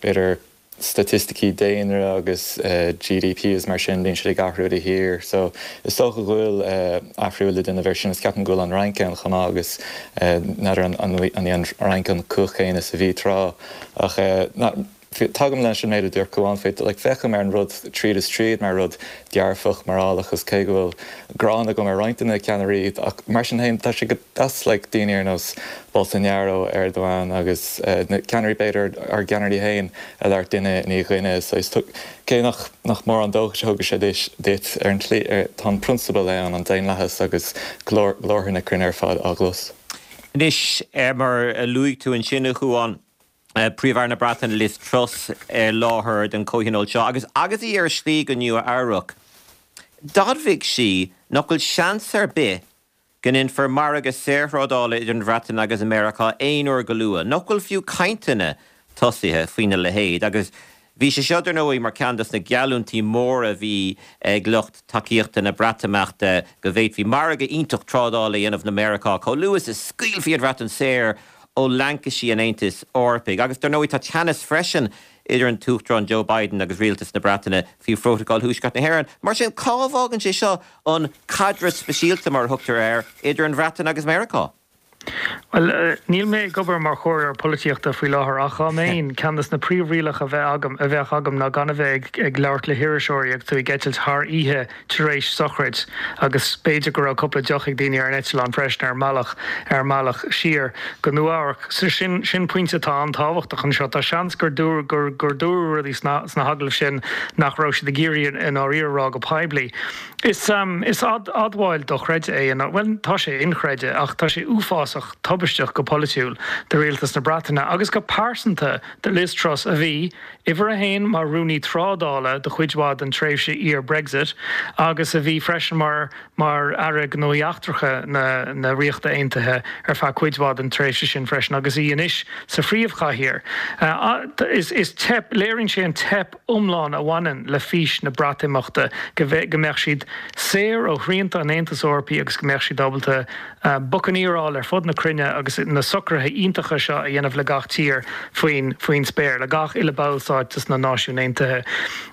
b'fhéidir, staitisticí daonra agus GDP is mar sin, bíonn siad ag athrú de shíor. So, is dócha go bhfuil athrú le déanamh air sin is ceapaim go bhfuil an Fhrainc ann chomh maith agus n'fheadar an, an í an Fhrainc an cumhacht chéanna is a bhí tráth ach na, Tagaim leis an méid a dúirt Cuán faoi, like, féachaim ar an rud tríd is tríd mar rud dearfach, morálach agus cé go bhfuil gráin agam ar roinnt de na ceannairí ach mar sin féin tá sé go deas like daoine ar nós Bolsonaro, Erdogan agus na ceannairí b'fhéidir ár gceannairí féin a labhairt duine i ndiaidh duine saghas cé nach nach mórán dóchais a thugann sé duit ar an tslí tá an prionsabal ann, an daonlathas agus glórtha na cruinne ar fad á gclos. Anois, mar a luaigh tú ansin, a Chuáin, Príomh-Aire na Breataine Liz Truss i láthair don chomhthionól seo agus agus í ar a slí go Nua Eabhrac, d'admhaigh sí nach bhfuil seans ar bith go ndéanfar margadh saorthrádála idir an Bhreatain agus Meiriceá aon uair go luath, nach bhfuil fiú cainteanna tosaithe faoina leithéid agus. Bhí sé seo, dar ndóigh, mar ceann dos na geallúintí móra a bhí ag lucht tacaíochta na Breatimeachta, go bhféadfaí margadh iontach trádála a dhéanamh le Meiriceá chomh luath is a scaoilfí an Bhreatain saor ó laincisí an Aontais Eorpaigh. Agus, dar ndóigh, tá teannas freisin idir an tUachtarán Joe Biden agus rialtas na Breataine faoi Phrótacal Thuaisceart na hÉireann. Mar sin, cá bhfágann sé seo an caidreamh speisialta, mar a thugtar air, idir an Bhreatain agus Meiriceá? Bhuel, níl mé ag obair mar chomhairleoir polaitíochta faoi láthair ach dá mbeinn, ceann de na príomhrialacha a bheadh agam, a bheadh agam ná gan a bheith ag labhairt le hiriseoirí agus tú ag eitilt thar oíche tar éis sochraid agus b'fhéidir go raibh cúpla deoch ag daoine ar an eitleán freisin ar an mbealach, ar an mbealach siar go Nua-Eabhrac. So sin, sin pointe atá an-tábhachtach anseo. Tá seans gur dúradh, gur, gur dúradh rudaí sna, sna hagallaimh sin nach raibh siad ag iarraidh i ndáiríre a rá go poiblí. Is admháil dochreidte é, bhuel, tá sé inchreidte, ach tá sé uafásach tubaisteach go polaitiúil do rialtas na Breataine agus go pearsanta do Liz Truss a bhí, uimhir a haon, mar Rúnaí Trádála do chuid mhaith den tréimhse iar-Brexit agus a bhí freisin mar mar Aire Gnóthaí Eachtracha na na Ríochta Aontaithe ar feadh cuid mhaith den tréimhse sin freisin agus í anois sa phríomhchathaoir. Is teip, léiríonn sé an teip iomlán a bhaineann le fís na Breatimeachta, go mbeadh siad saor ó shrianta an Aontais Eorpaigh agus go mbeadh siad ábalta bucaneeráil ar fud na cruinne agus na socruithe iontacha seo a dhéanamh le gach tír faoin faoin spéir, le gach uile ballstát de na Náisiúin Aontaithe.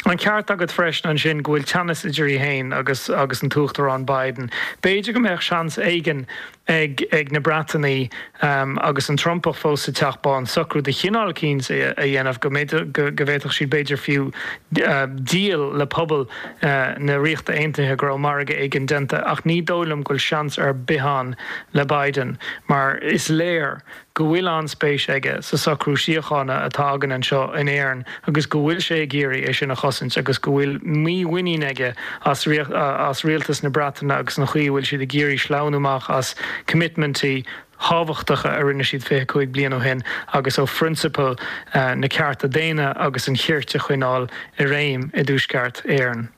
An ceart agat freisin ansin go bhfuil teannas idir í féin agus agus an tUachtarán Biden. B'fhéidir go mbeadh seans éigin ag ag na Breatanaigh agus an Trumpach fós sa Teach Bán socrú de chineál eicínt a dhéanamh go go bhféadfadh siad b'fhéidir fiú díol le pobal na Ríochta Aontaithe go raibh margadh éigin déanta ach ní dóigh liom go bhfuil seans ar bith ann le Biden mar is léir go bhfuil an-spéis aige sa socrú síochána atá againn anseo in Éirinn agus go bhfuil sé ag iarraidh é sin a chosaint agus go bhfuil mímhuinín aige as as rialtas na Breataine agus an chaoi a bhfuil siad ag iarraidh sleamhnú amach as coimitmintí thábhachtacha a rinne siad 25 bliain ó shin agus ó phrionsabail na cearta daonna agus an chirt a choinneáil i réim i dTuaisceart Éireann.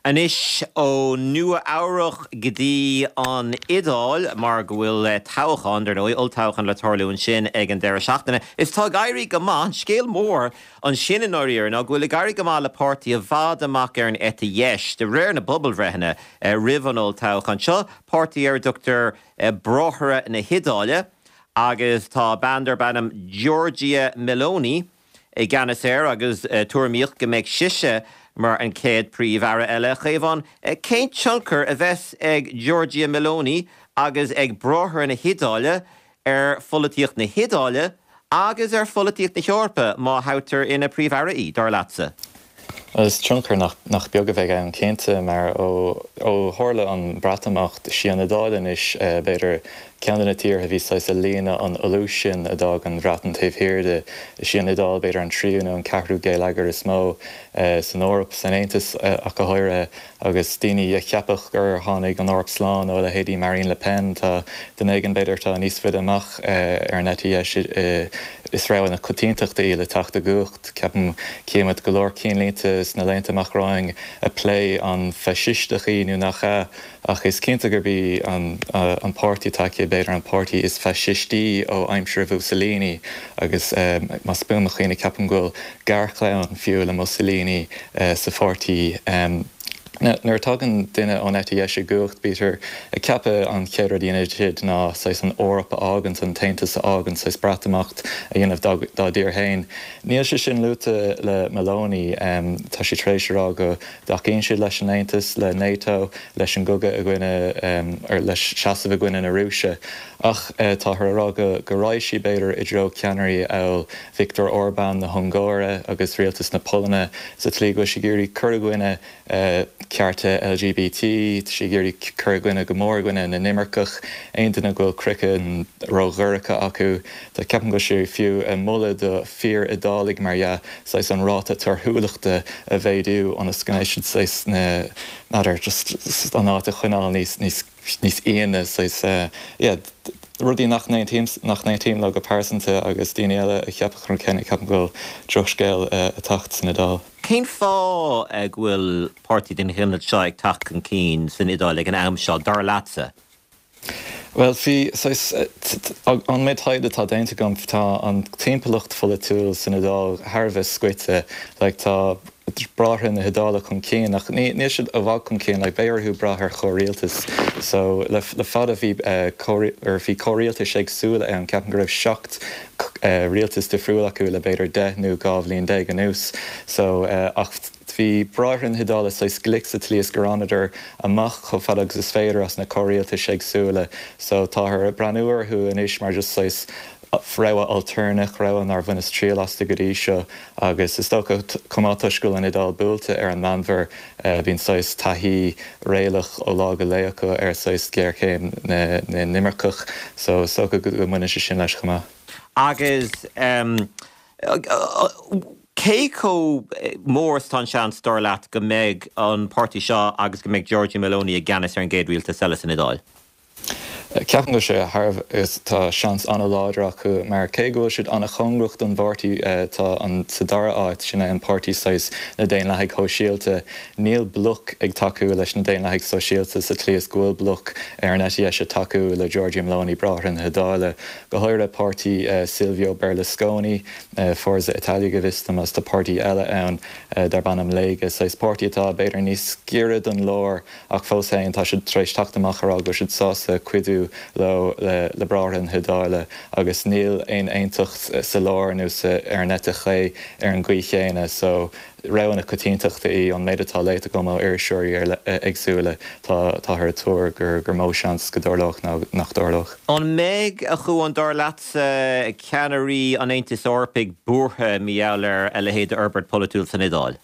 Anois ó Nua Eabhrach go dtí an Iodáil, mar go bhfuil toghchán, dar ndóigh, olltoghchán le tarlú ansin ag an deireadh seachtaine. Is tá ag éirí go maith, an scéal mór ansin i ndáiríre ná go bhfuil ag éirí go maith le páirtí i bhfad amach ar an eite dheis, de réir na bpobalbhreitheanna roimh an olltoghchán seo, páirtí ar a dtugtar Bráithre na hIodáile, agus tá bean darb ainm Giorgia Meloni, i gceannas air agus tuairimíodh go mbeadh sise mar an chéad Príomh-Aire eile. A Chaomháin, cén tionchar a bheas ag Giorgia Meloni agus ag Bráithre na hIodáile ar pholaitíocht na hIodáile agus ar pholaitíocht na hEorpa má thoghtar ina Príomh-Aire í, dar leatsa? Is tionchar nach beag a bheidh ann cinnte, mar ó tharla an Breatimeacht, is í an Iodáil anois, b'fhéidir, ceann de na tíortha a bhí saghas ag líonadh an fholúis sin a d'fhág an Bhreatain taobh thiar di. Is í an Iodáil b'fhéidir an tríú nó an ceathrú geilleagar is mó san Eoraip, san Aontas ach go háirithe. Agus daoine a cheapfadh gur tháinig an Eoraip slán ó leithéidí Marine Le Pen, tá duine éigin b'fhéidir atá níos faide amach ar an eite dheis is rogha na coitiantachta í le teacht i gcumhacht. Ceapaim cífimid go leor cinnlínte sna laethanta amach romhainn ag plé an faisisteach í nó nach ea, ach is cinnte gurb í an páirtí atá aici b'fhéidir an páirtí is faisistí ó aimsir Mhussolini agus más buan mo chuimhne ceapaim go bhfuil garchlann fiú le Mussolini sa pháirtí. Nuair a tagann duine ón eite dheis i gcumhacht, bítear ag ceapadh an chéad rud a dhéanfaidh siad ná saghas an Eoraip a fhágaint, an tAontas a fhágaint, saghas Breatimeacht a dhéanamh dá dtír féin. Níl sé sin luaite le Meloni. Tá sí tar éis a rá go dtacaíonn siad leis an Aontas, le NATO, leis an gcogadh i gcoinne, or le seasamh i gcoinne na Rúise. Ach táthar a rá go raghaidh sí b'fhéidir i dtreo ceannairí amhail Viktor Orbán na hUngáire agus rialtas na Polainne sa tslí go bhfuil sí ag iarraidh cur i gcoinne cearta LGBT, tá sí ag iarraidh cur i gcoinne go mór i gcoinne na n-imirceach, aon duine go bhfuil craiceann ródhorcha acu. Tá, ceapaim go bhfuil sí fiú ag moladh do fíor-Iodálaigh, mar dhea, saghas an ráta torthúlachta a mhéadú ionas go mbeidh siad saghas na, n'fheadar, just an áit a choinneáil níos, níos. níos íone, saghas, yeah, rudaí nach n-aontaím, nach n-aontaím leo go pearsanta agus daoine eile a cheapfadh an rud céanna, ceapaim go bhfuil drochscéal ag teacht san Iodáil. Cén fáth go bhfuil páirtí den chineál seo ag teacht chun cinn san Iodáil ag an am seo, dar leatsa? Bhuel, bhí, saghas, an méid taighde atá déanta agam, tá an timpeallacht pholaitiúil san Iodáil thar a bheith scoite. Like, tá Bráithre na hIodáile chun cinn, ach níl siad i bhfad chun cinn, like, beidh orthu brath ar chomhrialtas. So, le fada bhí, or bhí comhrialtais éagsúla ann, ceapaim go raibh 7 rialtas difriúil acu le b'fhéidir 10 nó 12 bhliain anuas. So, ach bhí Bráithre na hIodáile saghas glic sa tslí is gur fhanadar amach chomh fada agus is féidir as na comhrialtais éagsúla. So, táthar ag breathnú orthu anois mar just saghas rogha altarnach, rogha nár bhaineas triail astu go dtí seo agus is dócha chomh maith toisc go bhfuil an Iodáil buailte ar an Meánmhuir, bíonn saghas taithí réalach ó lá go lá acu ar saghas géarchéim na n-imirceach so is dócha go mbaineann sé sin leis chomh maith. Agus cé chomh mór is atá an seans, dar leat, go mbeidh an páirtí seo agus go mbeidh Giorgia Meloni i gceannas ar an gcéad rialtas eile san Iodáil? Ceapaim go bhfuil sé thar a bheith, tá seans an-láidir acu mar cé go bhfuil siad an-chóngarach don bpáirtí atá sa dara háit, sin é an páirtí saghas na Daonlathaigh Shóisialta, níl bloc ag tacú leis na Daonlathaigh Sóisialta sa tslí is go bhfuil bloc ar an eite dheis ag tacú le Giorgia Meloni, Bráithre na hIodáile, go háirithe páirtí Silvio Berlusconi, Forza Italia go bhfios dom, agus tá páirtí eile ann darb ainm Lega, saghas páirtí atá b'fhéidir níos giorra don lár. Ach fós féin, tá siad tar éis teacht amach a rá go bhfuil siad sásta cuidiú leo, le Bráithre na hIodáile, agus níl aon aontacht sa lár nó sa ar an eite chlé ar an gcaoi chéanna. So, rogha na coitiantachta í. Ón méid atá léite agam ó iriseoirí ar éagsúla, tá táthar ag tuar gur gur mó seans go dtarlódh ná nach dtarlódh. An mbeidh, a Chuáin, dar leatsa, ceannairí an Aontais Eorpaigh buartha mar gheall ar a leithéid d'fhorbairt pholaitiúil san Iodáil?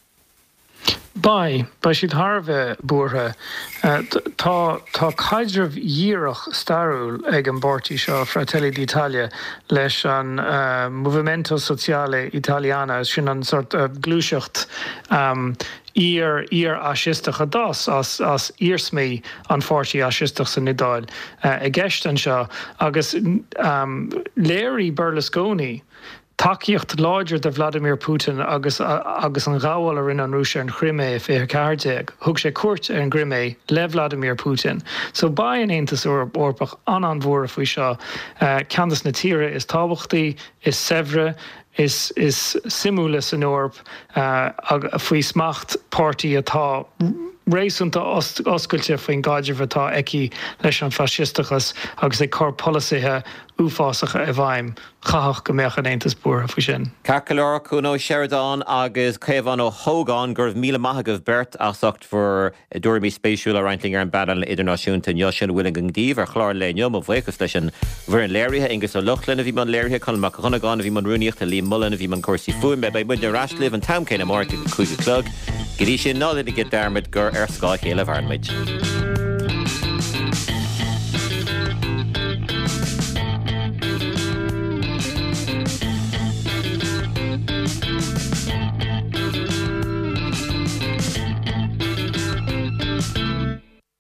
Beidh. Beidh siad thar a bheith buartha. Tá tá caidreamh dhíreach stairiúil ag an bpáirtí seo, Fratelli d'Italia, leis an Movimento Sociale Italiano, sin an sort gluaiseacht iar iar-fhaisisteach a d'fhás as as iarsmaí an pháirtí fhaisisteach san Iodáil i gceist anseo agus léirigh Berlusconi Tacaíocht láidir do Vladimir Putin agus agus an ghabháil a rinne an Rúis ar an Chrimé i 2014. Thug sé cuairt ar an gCrimé le Vladimir Putin. So beidh an Aontas Eorpach an-an-bhuartha faoi seo. Ceann des na tíortha is tábhachtaí, is saibhre, is is suimiúla san Eoraip faoi smacht páirtí atá réasúnta oscailte faoin gcaidreamh atá aici leis an bhfaisisteachas agus ag cur polasaithe uafásacha i bhfeidhm. Chaithfeadh go mbeadh an Aontas buartha faoi sin. Ceart go leor, Cuan Ó Seireadáin agus Caomhán Ó hÓgáin, go raibh míle maith agaibh beirt as ucht bhur dtuairimí spéisiúla a roinnt linn ar an bpainéal idirnáisiúnta inniu. Sin a bhfuil againn daoibh ar chlár an lae inniu. Mo bhuíochas leis an bhfoireann léirithe, Aengus Ó Lochlainn a bhí i mbun léirithe, Conall Mac Dhonnagáin a bhí i mbun rúnaíochta, Liam Mullen a bhí i mbun cúrsaí fuaime. Beidh muidne ar ais libh an t-am céanna amárach ag a 5 a chlog. Go dtí sin, ná déanaigí dearmad gur ar scáth a chéile a mhaireann muid.